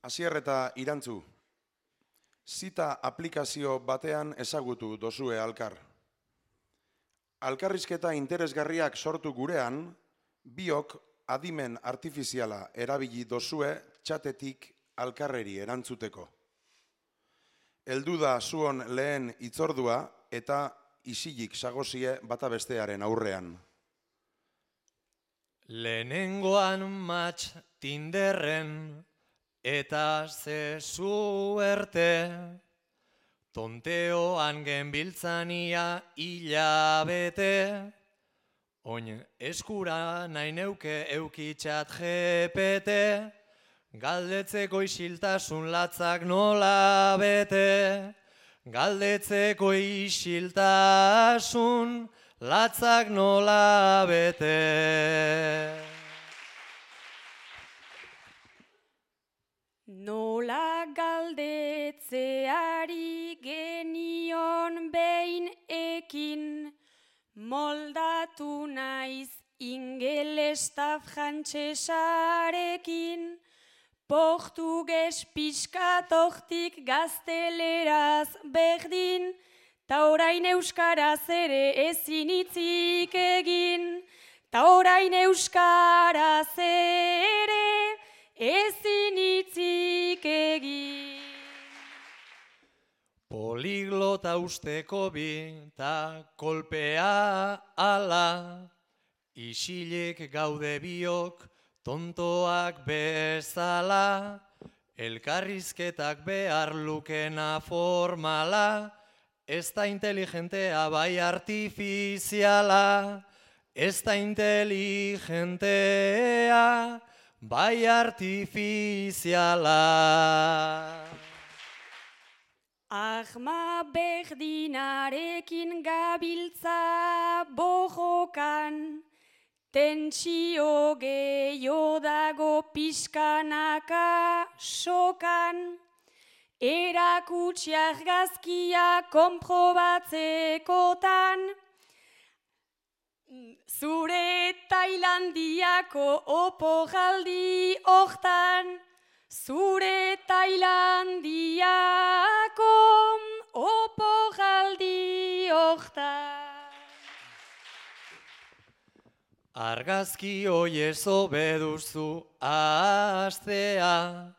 Asier eta Irantzu, zita aplikazio batean ezagutu dozue alkar. Alkarrizketa interesgarriak sortu gurean, biok adimen artifiziala erabili dozue txatetik alkarreri erantzuteko. Heldu da zuon lehen hitzordua eta isilik sagozie bata bestearen aurrean. Lehenengoan match Tinderren eta ze suerte, tonteoan genbiltzania hilabete, oin eskura nahi neuke eukitxat GPT, galdetzeko isiltasun latzak nola bete, galdetzeko isiltasun latzak nola bete. Nola galdetzeari genion behin ekin, moldatu naiz ingelesta frantsesarekin, portuges pixkatortik gazteleraz berdin, ta orain euskaraz ere ezin hitzik egin, ta orain euskaraz ere ezin hitzik egin. Poliglota usteko bi ta kolpea ala, isilek gaude biok tontoak bezala, elkarrizketak behar lukena formala, ez da inteligentea bai artifiziala, ez da inteligentea bai artifiziala. Arma berdinarekin gabiltza bojokan, tentsio gehiago dago pixkanaka sokan, erakutsi argazkia konprobatzekotan, zure Tailandiako oporraldi hortan, zure Tailandiako oporraldi hortan. Argazki hoiez obeduzu astea,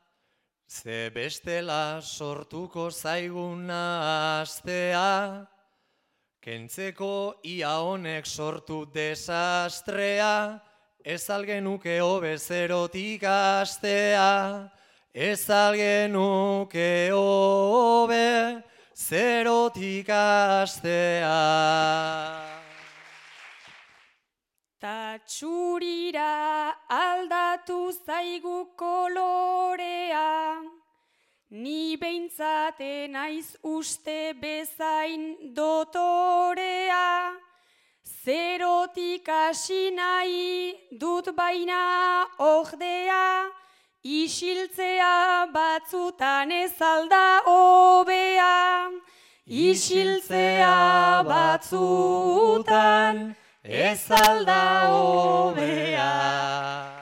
ze bestela sortuko zaiguna astea, kentzeko ia honek sortu desastrea, ez algenuke hobe zerotik astea, ez algenuke hobe zerotik astea. Ta txurira aldatu zaigu kolorea, ni behintzate naiz uste bezain dotorea, zerotik hasi nahi dut baina ordea, isiltzea batzutan ez alda hobea, isiltzea batzutan ez alda hobea.